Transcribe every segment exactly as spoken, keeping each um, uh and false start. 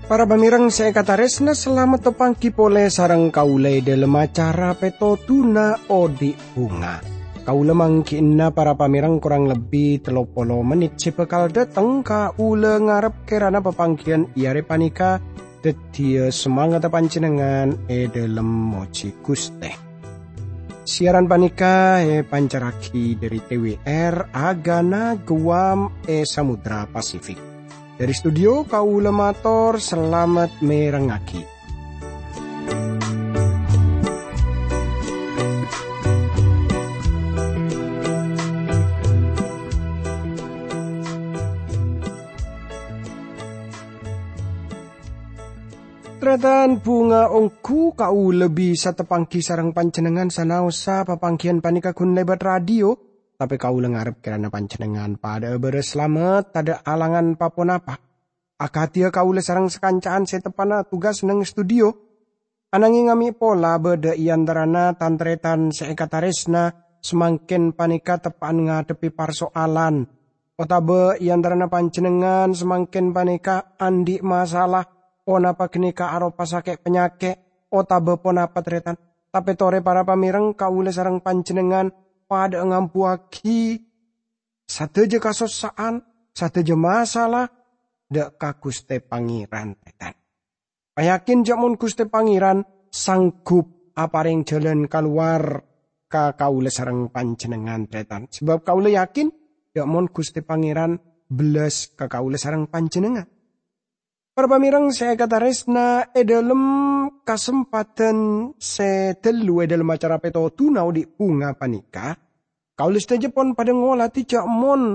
Para pamèrèng sè èkatarèsna, salamet tapanggi polè sareng kaulâ è dhâlem acara Pètodhuna Odi' Bhunga. Kaulâ mangghi'na para pamèrèng korang lebbi tello polo mennit sè bhâkal dâteng. Kaulâ ngarep kèrana papangghiyân è arè panèka dhâddhiyâ samangatta panjhennengngan è dhâlem mojhi Ghustè. Siaran panèka èpancarraghi dhâri T W R Agana Guam è Samudra Pasifik. Dhâri studio, kaulâ mator salamet mèrengngaghi. Tarètan, bhunga ongghu kaulâ bisa tapanggi sareng panjhennengngan sanaossa papangghiyân panèka ghun lèbât radio, tapè kaulâ ngarep kèrana panjhennengngan padhâ'â bârâs salamet, tadâ' alangan pa-ponapa. Akadhiyâ kaulâ sareng sakanca'an sè teppa'na tugas neng studio. Ananghing ame' pola bâdâ è antarana tan-tarètan sè èkatarèsna samangkèn panèka teppa'an ngadhebbhi parso'alan, otabâ è antarana panjhennengngan samangkèn panèka andi' masalah, ponapa ghânèka aropa sakè' panyakè', otabâ ponapa tarètan. Tapè torè para pamèrèng, kaulâ sareng panjhennengngan padhâ'â ngambuwâghi sadhâjâ kasossa'an, sadhâjâ masalah dâ' ka Ghustè Pangèran, tarètan. Payakin jâ' mon Ghustè Pangèran sanggup aparèng jhâlân kalowar ka kaulâ sareng panjhennengngan, tarètan. Sabâb kaulâ yakin jâ' mon Ghustè Pangèran bellas ka kaulâ sareng panjhennengngan. Para pamèrèng sè èkatarèsna, è dhâlem kasempadhân sè ghâllu è dhâlem acara Pètodhuna Odi' Bhunga panèka, kaulâ sadhâjâ pon padhâ ngolatè jâ' mon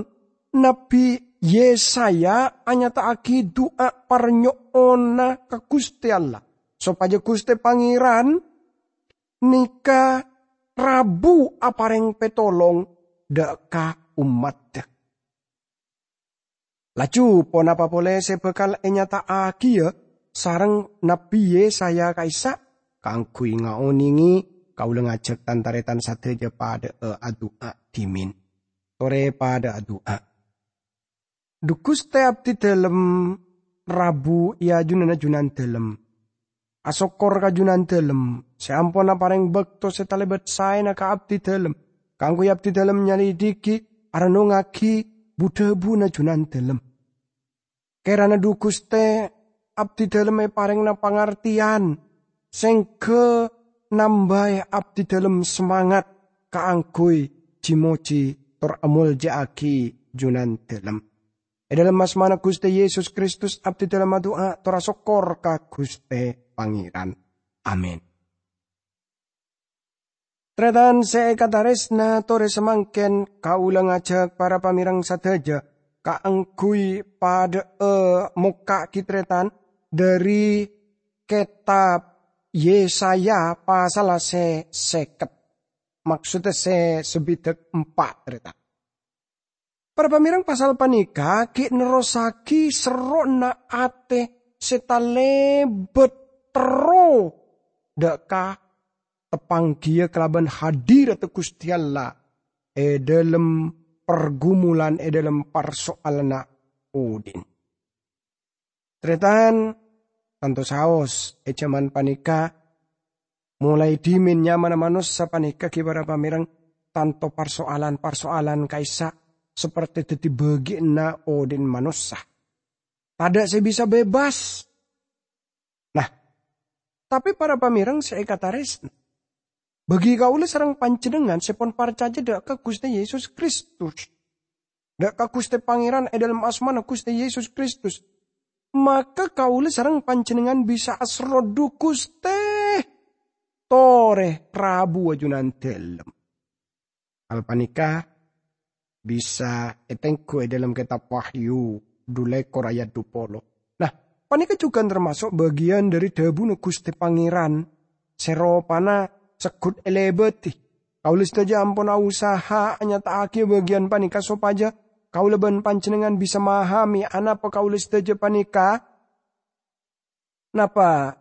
Nabbhi Yesaya anyata'aghi du'a parnyo'ona ka Ghustè Allah, sopajâ Ghustè Pangèran nèka rabu aparèng pètolong dâ' ka ommaddhâ. Laju ponapa polè sè bhâkal ènyata'aghiyâ sareng Nabbhi Yesaya ka'issa'? Kaangghuy ngaonèngè, kaulâ ngajhâk tan-tarètan sadhâjâ padhâ'â adu'a dhimèn. Torè padhâ adu'a. Dhu Ghustè, abdhi dhâlem rabu è ajunanna Junandhâlem. Asokkor ka Junandhâlem sè ampon aparèng bâkto sè talèbât saèna ka abdhi dhâlem, kaangghuy abdhi dhâlem nyalèdhighi, arennongngaghi bu-dhâbuna Junandhâlem. Kèrana dhu Ghustè, abdhi dhâlem èparèngana pangartèyan, sèngghâ nambâi abdhi dhâlem samangat kaangghuy ji-mojhi tor amolja'aghi Junandhâlem. È dhâlem asmana Ghustè Yesus Kristus, abdhi dhâlem adu'a tor asokkor ka Ghustè Pangèran. Amin. Tarètan sè èkatarèsna, torè samangkèn kaulâ ngajhâk para pamèrèng sadhâjâ kaangghuy padhâ'â mokka'aghi tarètan dhâri kètab Yesaya pasalla sè sèket, maksoddhâ sè sabidhâk empa', tarètan. Para pamèrèng, pasal panèka ghi' nerrossaghi serro'na atè sè talèbât terro dâ' ka tapangghiyâ kalabân hadiratta Ghustè Allah è dhâlem pargumulan, è dhâlem parso'alanna odi'na. Tarètan, tanto saos è jhâman panèka, molaè dhimèn nyamana manossa panèka ghi' para pamèrèng, tanto parso'alan-parso'alan ka'issa' saperte dhâddhi bâgiânna odi'na manossa. Tadâ' sè bisa bebas. Nah, tapè para pamèrèng sè èkatarèsna, bâgi kaulâ sareng panjhennengngan sè pon parcajâ dâ' ka Ghustè Yesus Kristus, dâ' ka Ghustè Pangèran è dhâlem asmana Ghustè Yesus Kristus, maka kaulâ sareng panjhennengngan bisa aserro dhu Ghustè, torè rabu Junandhâlem. Hal panèka bisa ètengghu è dhâlem kètab Wahyu dhu lèkor ayat dhu polo. Nah, panèka jhughân tamaso' bâgiyân dhâri dhâbuna Ghustè Pangèran sè ropana segghut èlèbâdhi. Kaulâ sadhâjâ ampon ausaha anyata'aghiyâ bâgiyân panèka sopajâ kaulâ bân panjhennengngan bisa mahamè anapa kaulâ sadhâjâ panèka. Napa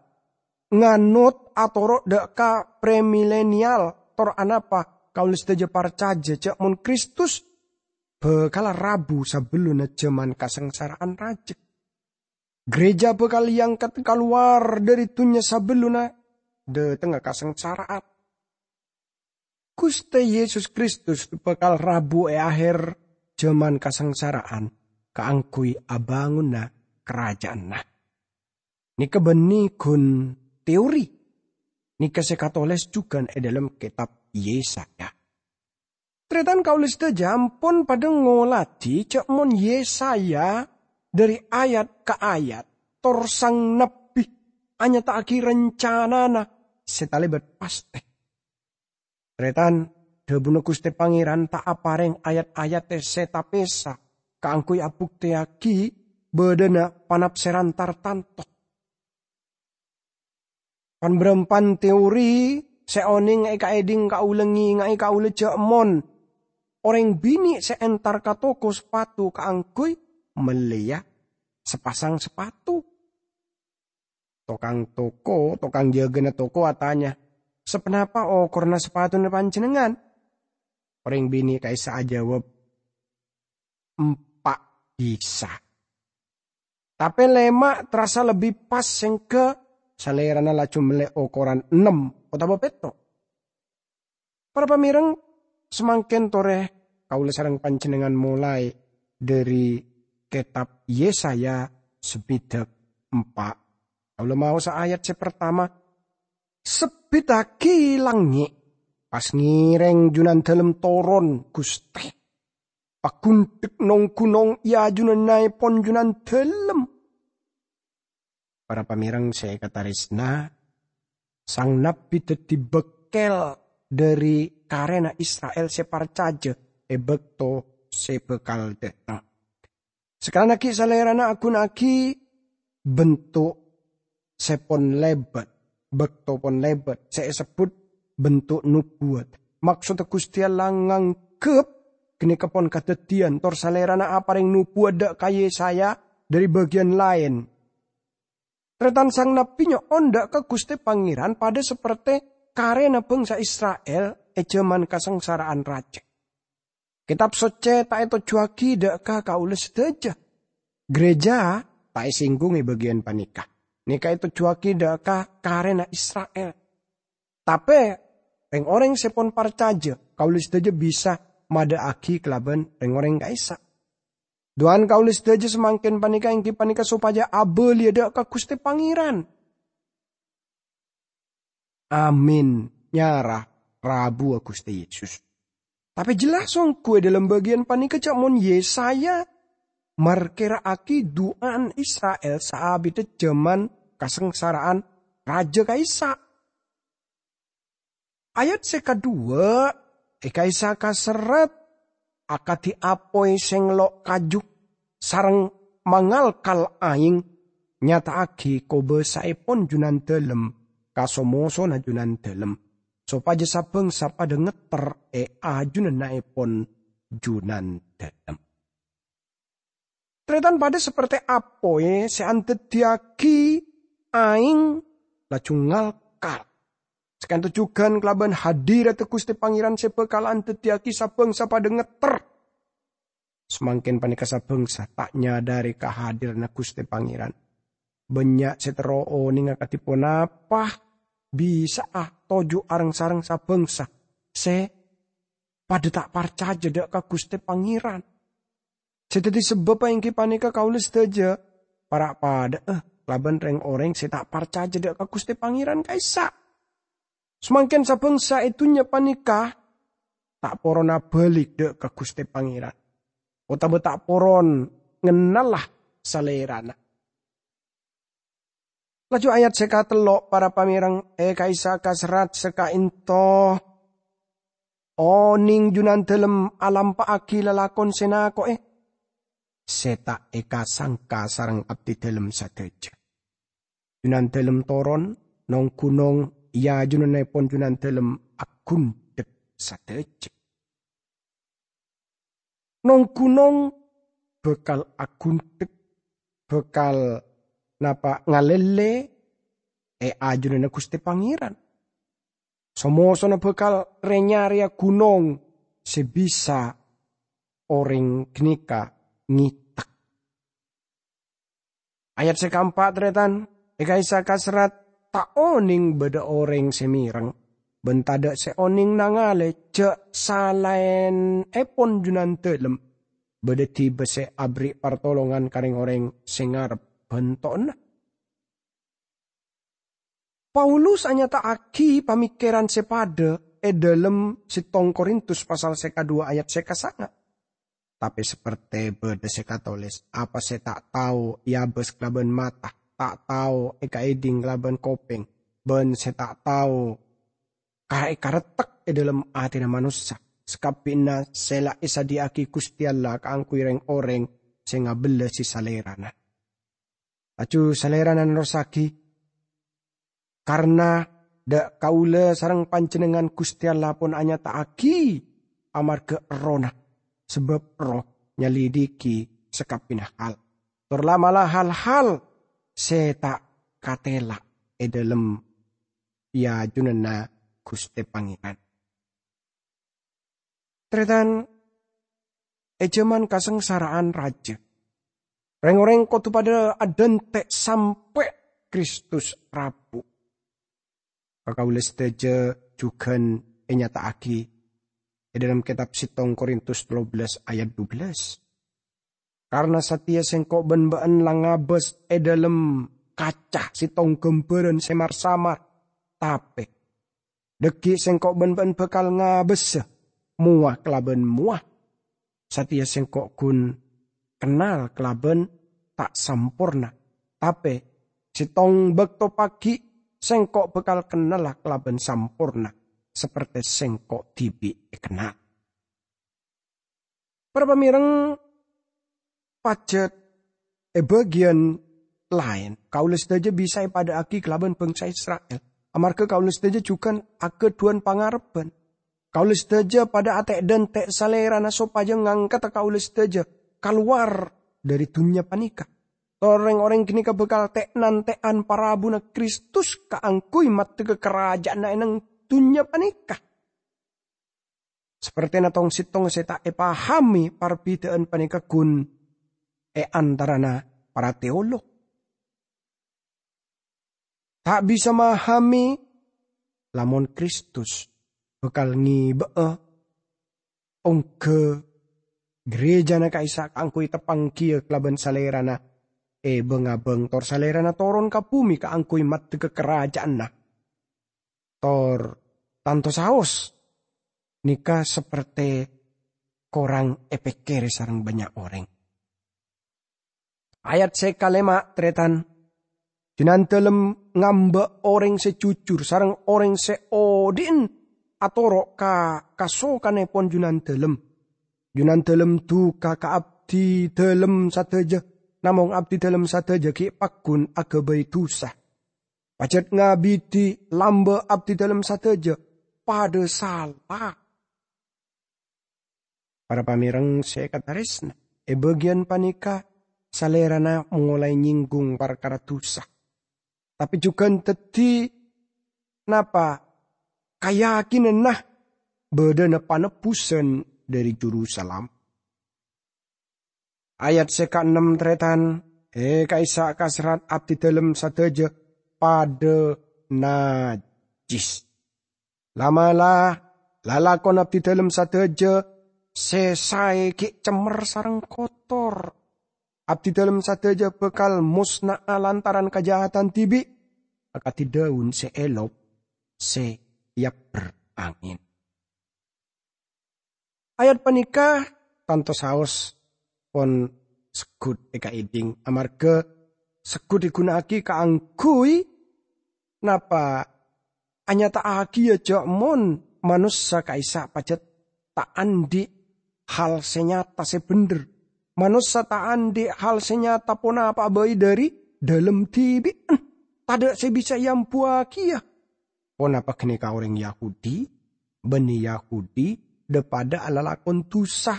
nganot atoro' dha' ka premilenial, tor anapa kaula sadaja parcaja ja' mon Kristus bakal rabu sabellunna jaman kasangsara'an raja. Gereja bakal eangkat kalowar dhari dunnya sabellunna dhatengnga kasangsara'an. Guste Yesus Kristus bakal rabu e aher jaman kasangsara'an kaangguy abanguna karajaanna. Neka banne gun teori. Neka se katoles jugan e dhalem ketab Yesaya. Taretan kaula sadaja ampon padha ngoladi ja' mon Yesaya dhari ayat ka ayat, tor sang nabbi anyata'agi rancanana se talebat paste. Taretan, dhabuna Guste Pangeran ta' apareng ayat-ayat se tapesa kaangguy abukteyagi badhana panapseran tartanto. Pan-barampan teori se oneng ekaedhing kaula ngengae kaula ja' mon oreng bine' se entar ka toko sapatu kaangguy melleya sapasang sapatu. Tokang toko, tokang jagana toko atanya, "Saponapa okorna sapatuna panjennengngan?" Oreng bine' ka'issa' ajawab, "Empa' bisa." Tape lema' terrassa lebbi pas sengga salerana laju melle okoran ennem otaba petto'. Para pamereng, samangken tore kaula sareng panjennengngan molae dhari ketab Yesaya sabidhak empa'. Kaula maosa ayat se partama, "Sabbittagi langnge', pas ngereng Junandalem toron, Guste. Pagundhek nong-gunong e ajunannaepon Junandalem." Para pamereng se ekataresa, sang nabbi daddi bakkel dhari karena Isra'il se parcaja e bakto se bakal dhateng. Sakalannagi Salerana aguna'agi bentuk se pon lebat, bakto pon lebat, se esebbut bentuk nubuwat. Maksodda Guste Allah nganggep ganeka pon kadaddiyan, tor Salerana apareng nubuwat dha' ka Yesaya dhari bagiyan laen. Taretan sang nabbi nyo'on dha' ka Guste Pangeran padha saperte karena bangsa Isra'il e jaman kasangsara'an raja. Ketab Socce ta' etojjuwagi dha' ka kaula sadaja. Gereja ta' esinggung e bagiyan paneka. Neka etojjuwagi dha' ka karena Isra'il. Tape, reng-oreng se pon parcaja, kaula sadaja bisa madha'agi kalaban reng-oreng ka'issa'. Du'ana kaula sadaja samangken paneka enggi paneka sopaja abaliya dha' ka Guste Pangeran. Amin. Nyara rabuwa Guste Yesus. Tape jelas onggu e dhalem bagiyan paneka ja' mon Yesaya markera'agi du'ana Isra'il saabidda jaman kasangsara'an raja ka'issa'. Ayat se kadhuwa e ka'issa' kaserrat akadi apoy se ngello' kaju sareng mangalkal aeng nyata'agi kobasaepon Junandalem ka so-mosona Junandalem, sopaja sa-bangsa padha ngetter e ajunannaepon Junandalem. Taretan padha saperte apoy se andaddiyagi aeng laju ngalkal. Saka'ento jugan kalaban hadiradda Guste Pangeran se bakal andaddiyagi sa-bangsa padha ngetter. Samangken paneka sa-bangsa ta' nyadare kahadiranna Guste Pangeran. Bannya' se terro onenga kadi ponapa bisa'a toju' areng-sareng sa-bangsa se padha ta' parcaja dha' ka Guste Pangeran. Se daddi sababba enggi paneka kaula sadaja para' padha'a kalaban reng-oreng se ta' parcaja dha' ka Guste Pangeran ka'issa'. Samangken sa-bangsa e dunnya paneka ta' poron abalik dha' ka Guste Pangeran, otaba ta' poron ngennala Salerana. Laju ayat se katello', para pamereng, e ka'issa' kaserrat saka'ento, oneng Junandalem alampa'agi lalakon se nako'e, se ta' ekasangka sareng abdidalem sadaja. Junandalem toron, nong-gunong e ajunannaepon Junandalem agundhek sadaja. Nong-gunong bakal agundhek, bakal napa ngalelle, è ajunanna Ghustè Pangèran. So-mosona bhâkal rè-nyarèya ghunong sè bisa orèng ghânèka ngètèk. Ayat sè kaempa', tarètan, è ka'issa' kaserrat, "Ta' onèng bâdâ orèng sè mèreng, bân tadâ' sè onèng nangalè jhâ' salaènnèpon Junandâlem bâdâ dhibi' sè aberri' partolongan ka rèng-orèng sè ngarep bhânto'na." Paulus anyata'aghi pamèkkèran sè padâ è dhâlem Settong Korintus pasal sè kaduwâ ayat sè kasanga'. Tapè sapertè bâdâ sè katolès, apa sè ta' tao èabâs kalabân mata, ta' tao èkaèdhing kalabân kopèng, bân sè ta' tao ka-, èkarettek è dhâlem atèna manossa, sakabbhiyânna sè la èsadhiyâ'aghi Ghustè Allah kaangghuy rèng-orèng sè ngabellasi Salèrana. Laju Salèrana nerrossaghi, "Karna dâ' kaulâ sareng panjhennengngan Ghustè Allah pon anyata'aghi amarghâ Errohna, sabâb Erroh nyalidhighi sakabbhiyânna hal, tor la'-mala' hal-hal sè ta' katèla' è dhâlem è ajunanna Ghustè Pangèran." Tarètan, è jhâman kasangsara'an rajâ, rèng-orèng kodhu padâ adhânte' sampè' Kristus rabu. Ka kaulâ sadhâjâ jhughân ènyata'aghi è dhâlem kètab Settong Korintus tello bellâs ayat dubellâs. Karna satèya sèngko' bân bâ'ân la ngabâs è dhâlem kaca settong ghâmbhârân sè mar-samar, tapè dhâggi' sèngko' bân bâ'ân bhâkal ngabâsa mowa kalabân mowa. Satèya sèngko' ghun kennal kalabân ta' samporna, tapè settong bâkto paghi' sèngko' bhâkal kennala kalabân samporna, sapertè sèngko' dhibi' èkennal. Para pamèreng, pajhât è bâgiyân laèn, kaulâ sadhâjâ bisa èpadâ'âghi kalabân bhângsa Isra'il, amarghâ kaulâ sadhâjâ jhughân aghâdhuwân pangarebbhân. Kaulâ sadhâjâ padâ atè'-dhânte' Salèrana sopajâ ngangkada kaulâ sadhâjâ kalowar dhâri dhunnya panèka. Tor rèng-orèng ghânèka bhâkal tè'-nantè'an parabuna Kristus kaangghuy maddhâgâ karajâânna è neng dhunnya panèka. Sapertèna tong-settong sè ta' èpahamè parbidhâ'ân panèka ghun è antarana para teolog. Ta' bisa mahamè lamon Kristus bhâkal ngèbâ'â ongghâ ghârèjâna ka'issa' kaangghuy teppanggiyâ kalabân Salèrana è bhâng-abhâng, tor Salèrana toron ka bhumè kaangghuy maddhâgâ karajâânna. Tor tanto saos nèka sapertè korang èpèkkèrè sareng bânnya' orèng. Ayat sè kalèma', tarètan, Junandâlem ngambâ' orèng sè jujur sareng orèng sè odi'ân atoro' ka kasokanèpon Junandâlem. Junandâlem duka ka abdidâlem sadhâjâ, namong abdidâlem sadhâjâ ghi' pagghun aghâbây dhusa. Pajhât ngabidi lambâ' abdidâlem sadhâjâ padâ sala. Para pamèreng sè èkatarèsna, è bâgiyân panèka Salèrana molaè nyèngghung parkara dhusa, tapè jhughân dhâddhi napa kayakinanna bâdâna panebbusan dhâri Juru Salamet. Ayat sè kaennem, tarètan, è ka'issa' kaserrat abdidâlem sadhâjâ padâ najjhis. La'-mala', lalakon abdidâlem sadhâjâ sè saè ghi' cemmer sareng kotor. Abdidâlem sadhâjâ bhâkal mosna'a lantaran kajahadhân dhibi', akadhi dâun sè èlop sè èabbher angèn. Ayat panèka tanto saos pon segghut èkaèdhing, amarghâ segghut èghuna'aghi kaangghuy napa? Anyata'aghiyâ jhâ' mon manossa ka'issa' pajhât ta' andi' hal sè nyata sè bhendher. Manossa ta' andi' hal sè nyata ponapa'a bhâi dhâri dâlem dhibi'en. Tadâ' sè bisa èambuwâghiyâ. Ponapa ghânèka orèng Yahudi? Bânnè Yahudi dhâ-padhâ alalakon dhusa,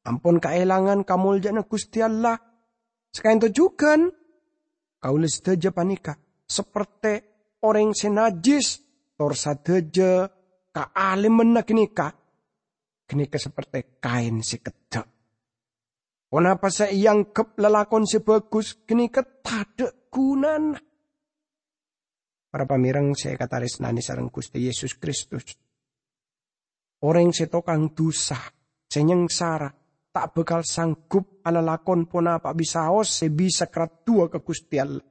ampon kaèlangan kamoljâ'ânna Ghustè Allah. Saka'ènto jhughân, kaulâ sadhâjâ panèka sapertè orèng sè najjhis, tor sadhâjâ kaalimmanna ghânèka, ghânèka saperte kaèn sè keddhâ'. Ponapa sè èangghep lalakon sè bhâghus ghânèka tadhâ' ghunana. Para pamèreng sè èkatarèsnanè sareng Ghustè Yesus Kristus, orèng sè tokang dhusa, sè nyangsara, ta' bhâkal sanggup alalakon ponapa bisaos sè bisa karaddhuwâ ka Ghustè Allah.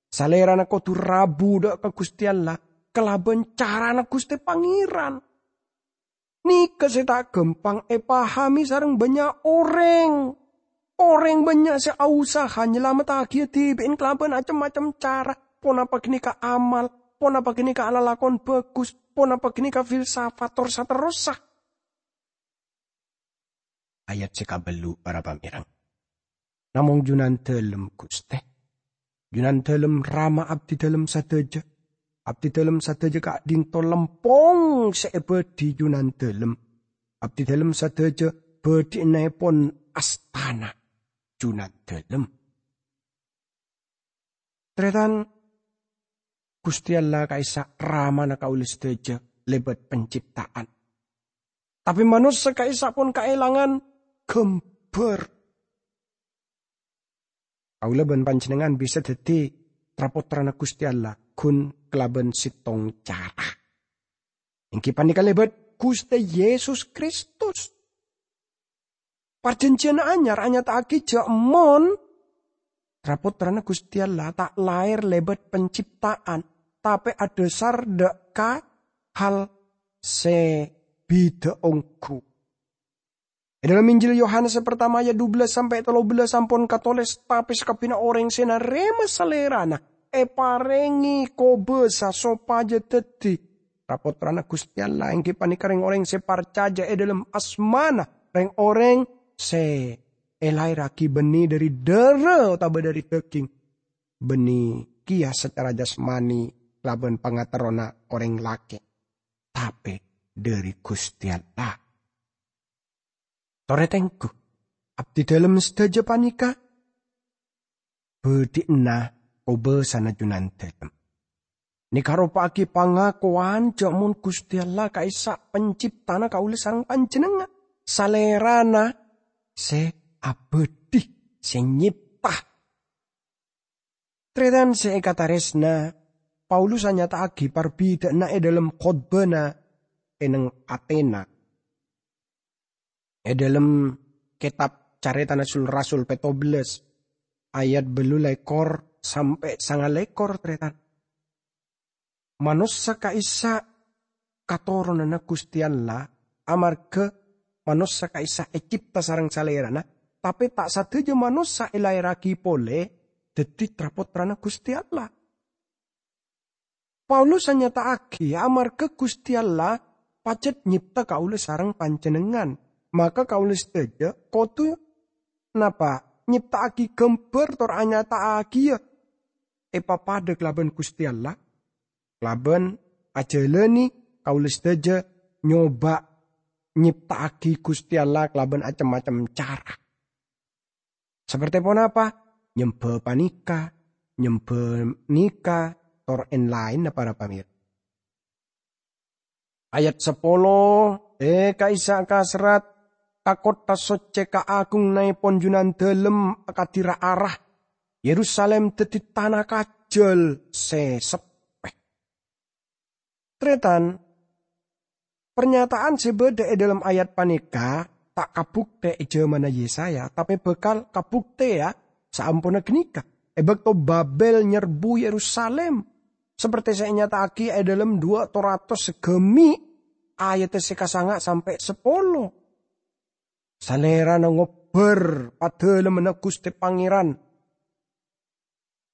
Salèrana kodhu rabu dâ' ka Ghustè Allah kalabân carana Ghustè Pangèran. Nèka sè ta' ghâmpang èpahamè sareng bânnya' orèng. Orèng bânnya' sè ausaha nyalamettaghi dhibi'na kalabân cem-macem cara, ponapa ghânèka amal, ponapa ghânèka alalakon bhâghus, ponapa ghânèka filsafat, tor saterrossa. Ayat sè kabâllu', para pamèreng. Namong Junandâlem, Ghustè. Junandâlem Rama abdidâlem sadhâjâ. Abdidâlem sadhâjâ ka'dinto lempong sè èbâdhi Junandâlem. Abdidâlem sadhâjâ bâdhi'annèpon astana Junandâlem. Tarètan, Ghustè Allah ka'issa' Ramana kaulâ sadhâjâ lèbât pencipta'an. Tapè manossa ka'issa' pon kaèlangan ghâmbhâr. Kaulâ bân panjhennengngan bisa dhâddhi tra-pottrana Ghustè Allah ghun kalabân sèttong cara. Èngghi panèka lèbât Ghustè Yesus Kristus. Parjhânjhiyân Anyar anyata'aghi jhâ' mon tra-pottrana Ghustè Allah ta' laèr lèbât pencipta'an, tapè adhâsar dâ' ka hal sè bhidhâ ongghu. È dâlem Injil Yohanes sè partama ayat dubellâs sampè' tello bellâs ampon katolès, "Tapè sakabbhiyânna orèng sè narèma Salèrana èparèngè kobâsa sopajâ dhâddhi tra-pottrana Ghustè Allah, èngghi panèka rèng-orèng sè parcajâ è dâlem asmana, rèng-orèng sè èlaèrraghi bânnè dâri dârâ otabâ dâri dhâghing, bânnè kèya sacara jasmani kalabân pangaterrona orèng lakè', tapè dâri Ghustè Allah." Torè tengghu, abdidâlem sadhâjâ panèka bâdhi'na kobâsana Junandâlem. Nèka aropa'aghi pangakowan jhâ' mon Ghustè Allah ka'issa' penciptana kaulâ sareng panjhennengngan, Salèrana sè abâdhi, sè nyèpta. Tarètan sè èkatarèsna, Paulus anyata'aghi parbidhâ'ânna è dâlem khotbana è neng Atena. È dâlem kètab Carètana Sul-Rasul pètto bellâs, ayat bâllu lèkor sampè' sanga lèkor, tarètan. Manossa ka'issa' katoronanna Ghustè Allah, amarghâ manossa ka'issa' ècèpta sareng Salèrana, tapè ta' sadhâjâ manossa èlaèrraghi polè dhâddhi tra-pottrana Ghustè Allah. Paulus anyata'aghi, amarghâ Ghustè Allah pajhât nyèpta kaulâ sareng panjhennengngan, maka kaulâ sadhâjâ kodhu napa? Nyèpta'aghi ghâmbhâr tor anyata'aghiyâ èpapadâ kalabân Ghustè Allah, kalabân ajhâlânè kaulâ sadhâjâ nyobâ nyèpta'aghi Ghustè Allah kalabân acem-macem cara. Saperte ponapa? Nyembhâ panèka, nyembhâ nèka, tor èn-laènna, para pamèr-, Ayat sapolo, "È, ka'issa' kaserrat, ka kottha soccè kaagungngaèpon Junandâlem akadhi ra-ara, Yerusalim dhâddhi tana kajhâl sè seppè." Tarètan, parnyata'an sè bâdâ è dâlem ayat panèka ta' kabhuktè è jhâmanna Yesaya, tapè bhâkal kabhuktèya saamponna ghânèka, è bâkto Babel nyerbu Yerusalim, saperte sè ènyata'aghi è dâlem duwâ' to ratos saghâmè', ayaddhâ sè kasanga' sampè' sapolo. Salèrana ngobbhâr padâlemmanna Ghustè Pangèran.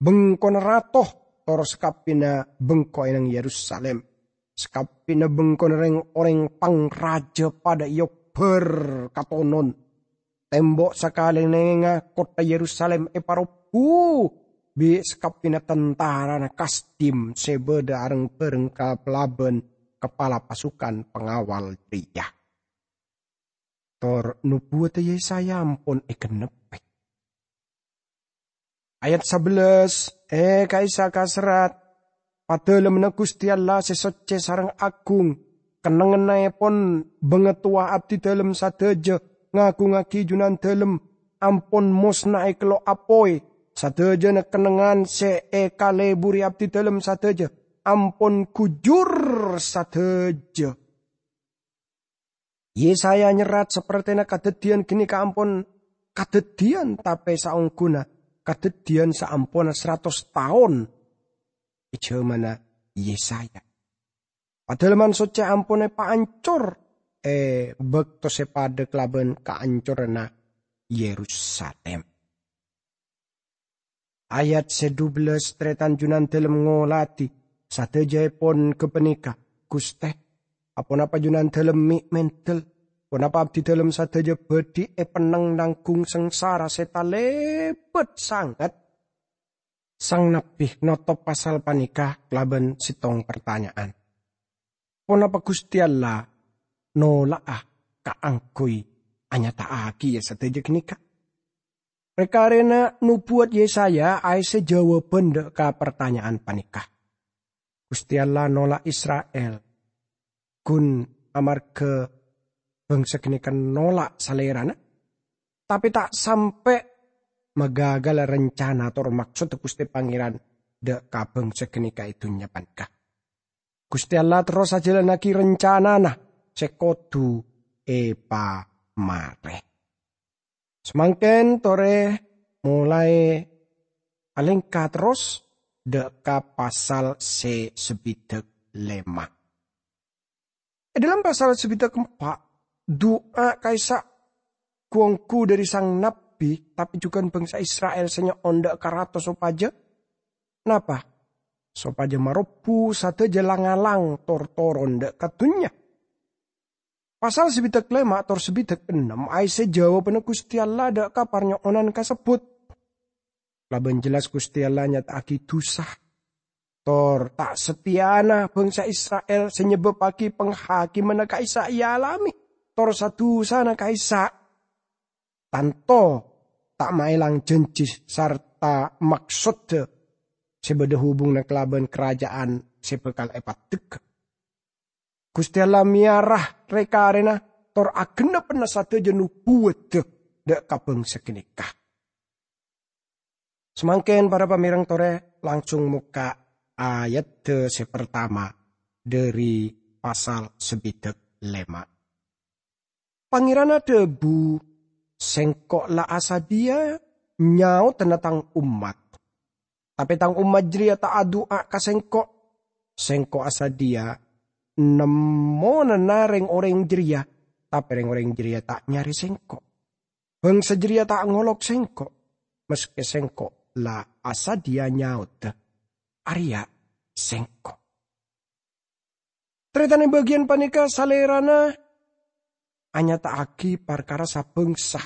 Bengkona rato, tor sakabbhiyânna bengko è neng Yerusalim. Sakabbhiyânna bengkona rèng-orèng pangrajâ padâ èobbhâr katonon. Tembo' sakalèngnga kottha Yerusalim èparobhu bi' sakabbhiyânna tantarana Kasdim sè bâdâ areng-bhâreng kalabân kapala pasukan pangawal jârèya. Tor nobuwadda Yesaya ampon ègennebbhi. Ayat sabellâs, "È, ka'issa' kaserrat, Padalemmanna Guste Allah se socce sareng agung, kennengngannaepon bangatowa abdidalem sadaja ngagungngagi Junandalem, ampon mosnae kello' apoy. Sadajana kennengngan se ekaleburi abdidalem sadaja ampon gujur sadaja. Yesaya nyerrat sapertena kadaddiyan ganeka ampon kadaddiyan, tape saongghuna kadaddiyan saamponna saratos taon e jamanna Yesaya. Padalemman Socce ampon epaancor e bakto se padha kalaban kaancoranna Yerusalim. Ayat se dubellâs, taretan Junandalem ngoladi sadajaepon gapaneka, "Guste, aponapa Junandalem me' mendel? Ponapa abdidalem sadaja badhi epenneng nanggung sangsara se talebat sanget?" Sang nabbi notop pasal paneka kalaban settong partanya'an. Ponapa Guste Allah nola'a kaangguy anyata'agiya sadaja ganeka? Reng-karena nobuwat Yesaya aesse jawaban dha' ka partanya'an paneka. Guste Allah nola' Isra'il, gun amarga bangsa ganeka nola' Salerana, tape ta' sampe' magagala rencana tor maksodda Guste Pangeran dha' ka bangsa ganeka e dunnya paneka. Guste Allah terros ajalannagi rencanana se kodu epamare. Samangken tore molae alengka terros dha' ka pasal se sabidhak lema'. E dhalem pasal sabidhak empa', du'a ka'issa' gu-onggu dhari sang nabbi, tape jugan bangsa Isra'il se nyo'on dha' ka rato sopaja napa? Sopaja marobbu sadaja lang-ngalang tor toron dha' ka dunnya. Pasal sabidhak lema' tor sabidhak ennem aesse jawabanna Guste Allah dha' ka parnyo'onan kasebbhut. Laban jellas Guste Allah nyata'agi dusa tor ta' satteyana bangsa Isra'il se nyebbabbagi panghakimanna ka'issa' ealame, tor sa-dusana ka'issa' tanto ta' maelang janji sarta maksodda se badha hubunganna kalaban karaja'an se bakal epaddhegga. Guste Allah meyara re-karena tor agennebbana sadaja nobuwadda dha' ka bangsa ganeka. Samangken, para pamereng tore, langsung mokka' ayadda se partama dhari pasal sabidhak lema'. Pangeran adhabu, "Sengko' la asadhiya nyaodanna Tang ommat. Tape Tang ommat jareya ta' adu'a ka Sengko'. Sengko' asadhiya nemmonana reng-oreng jareya, tape reng-oreng jareya ta' nyare Sengko'. Bangsa jareya ta' ngolok Sengko', maske Sengko' la asadhiya nyaoda, 'Areya Sengko'.'" Taretan, e bagiyan paneka Salerana anyata'agi parkara sabangsa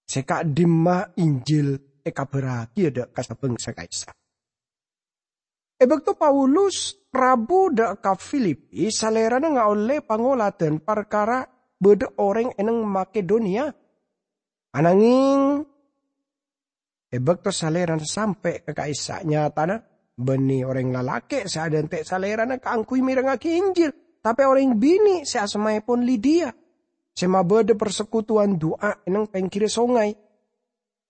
se ka'dimma Injil ekabaragiya dha' ka sabangsa ka'issa'. E bakto Paulus rabu dha' ka Filipi, Salerana ngaolle pangoladan parkara badha oreng e neng Makedoniya. Anangeng, e bakto Salerana sampe' ka ka'issa', nyatana banne oreng lalake' se adhante' Salerana kaangguy merengngagi Injil, tape oreng bine' se asmaepon Lidiya, se mabadha parsekutuwan du'a e neng penggerra songay.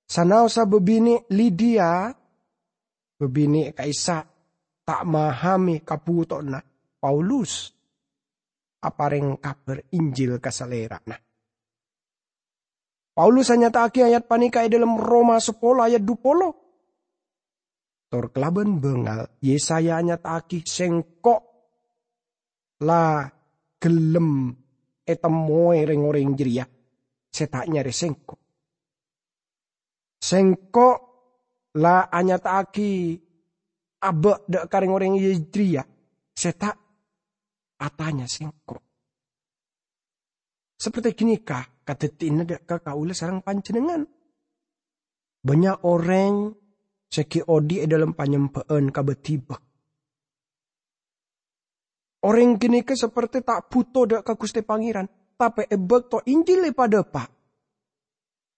Sanaossa babine' Lidiya, babine' ka'issa' ta' mahame kabutowanna, Paulus apareng kabar Injil ka salerana. Paulus anyata'agi ayat paneka e dhalem Roma sapolo ayat dupolo. Tor kalaban bangal, Yesaya anyata'agi, "Sengko' la gellem etemmowe reng-oreng jareya se ta' nyare Sengko'. Sengko' la anyata'agi aba' dha' ka reng-oreng jareya se ta' atanya Sengko'." Saperte ganeka kadaddiyanna dha' ka kaula sareng panjennengngan. Bannya' oreng se gi' odhi' e dhalem panyembha'an kaba-diba. Oreng ganeka saperte ta' buto dha' ka Guste Pangeran, tape e bakto Injil epadhapa,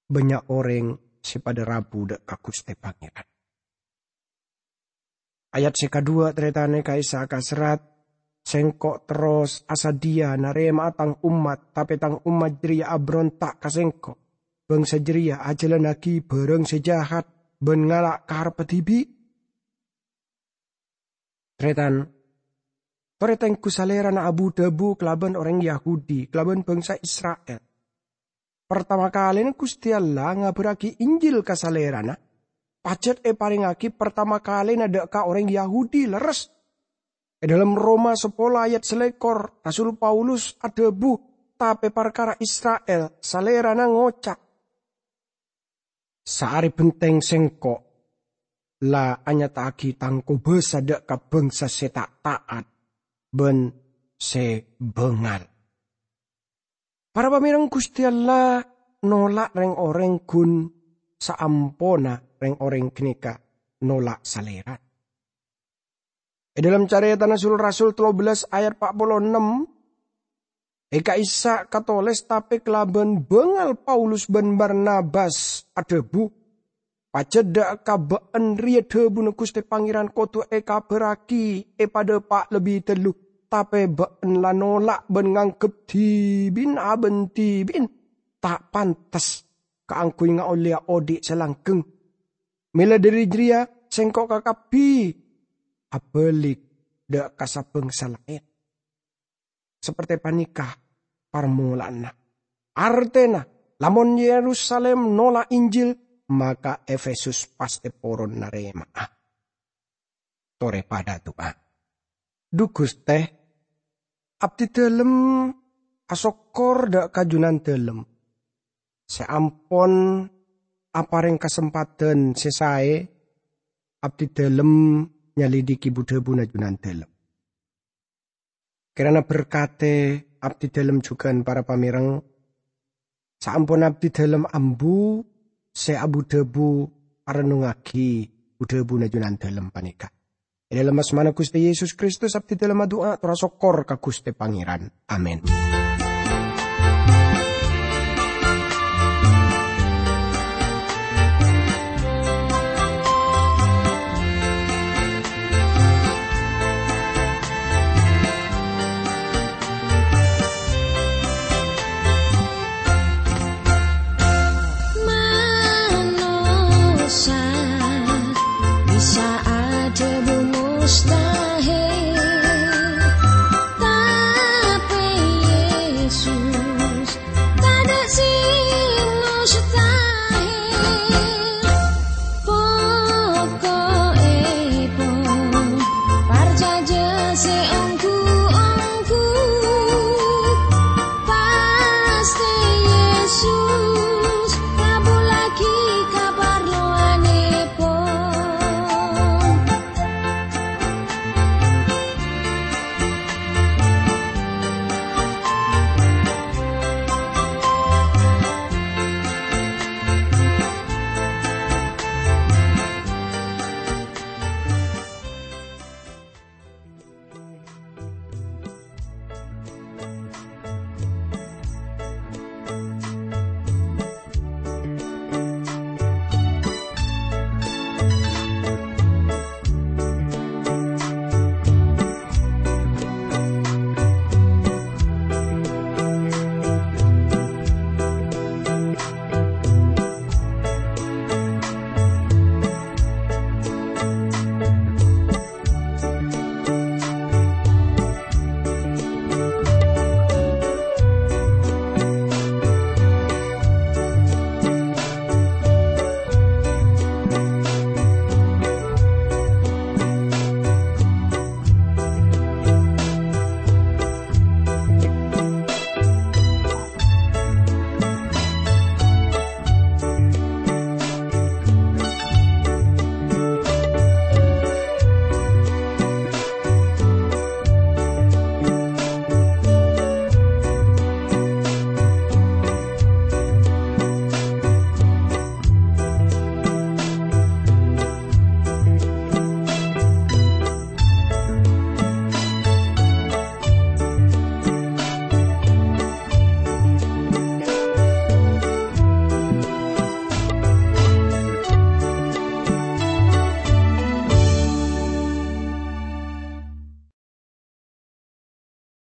bannya' oreng se padha rabu dha' ka Guste Pangeran. Ayat sè kaduwâ', tarètan, ka'issa' kaserrat, "Sèngko' terros asadhiyâ narèma'a tang ommat, tapè tang ommat jârèya abhâronta' ka Sèngko'. Bhângsa jârèya ajhâlannaghi bhârâng sè jahat bân ngala' karebbhâ dhibi'." Tarètan, torè tengghu Salèrana abu-dhâbu kalabân orèng Yahudi, kalabân bhângsa Isra'il. Partama kalèna Ghustè Allah ngabhârraghi Injil ka Salèrana, pajhât èparèngaghi partama kalèna dâ' ka orèng Yahudi lerres. È dhâlem Roma sapolo ayat salèkor, Rasul Paulus adhâbu, "Tapè parkara Isra'il, Salèrana ngoca', 'Saarè bhenteng Sèngko' la anyata'aghi Tang kobâsa dâ' ka bhângsa sè ta' ta'at bân sè bângal.'" Para pamèreng, Ghustè Allah nola' rèng-orèng ghun saamponna rèng-orèng ghânèka nola' Salèrana. È dhâlem Carètana Sul-Rasul tello bellâs ayat pa' polo ennem, è ka'issa' katolès, "Tapè kalabân bângal Paulus bân Barnabas adhâbu, 'Pajhât dâ' ka bâ'ân rèya dhâbuna Ghustè Pangèran kodhu èkabhârraghi èpadâpa' lebbi tello, tapè bâ'ân la nola' bân nganggep dhibi'na abân dhibi'na ta' pantes kaangghuy ngaollèya odhi' sè langghâng. Mèla dhâri jârèya sèngko' kakabbhi abâli dâ' ka sabhângsa laèn.'" Saperte paneka parmola'anna. Artena, lamon Yerusalem nola' Injil, maka Efesus pastè poron narema'a. Tore padha adu'a. Dhu Guste, abdidalem asokkor dha' ka Junandalem se ampon apareng kasempadhan se sae abdidalem nyalidiki bu-dhabuna Junandalem. Kirana berkate abdidalem jugan para pamereng, saampon abdidalem ambu se abu-dhabu arennungngagi bu-dhabuna Junandalem paneka. E dhalem asmana Guste Yesus Kristus abdidalem adu'a, tor asokkor ka Guste Pangeran. Amin. Manossa bisa adhabu mustahil.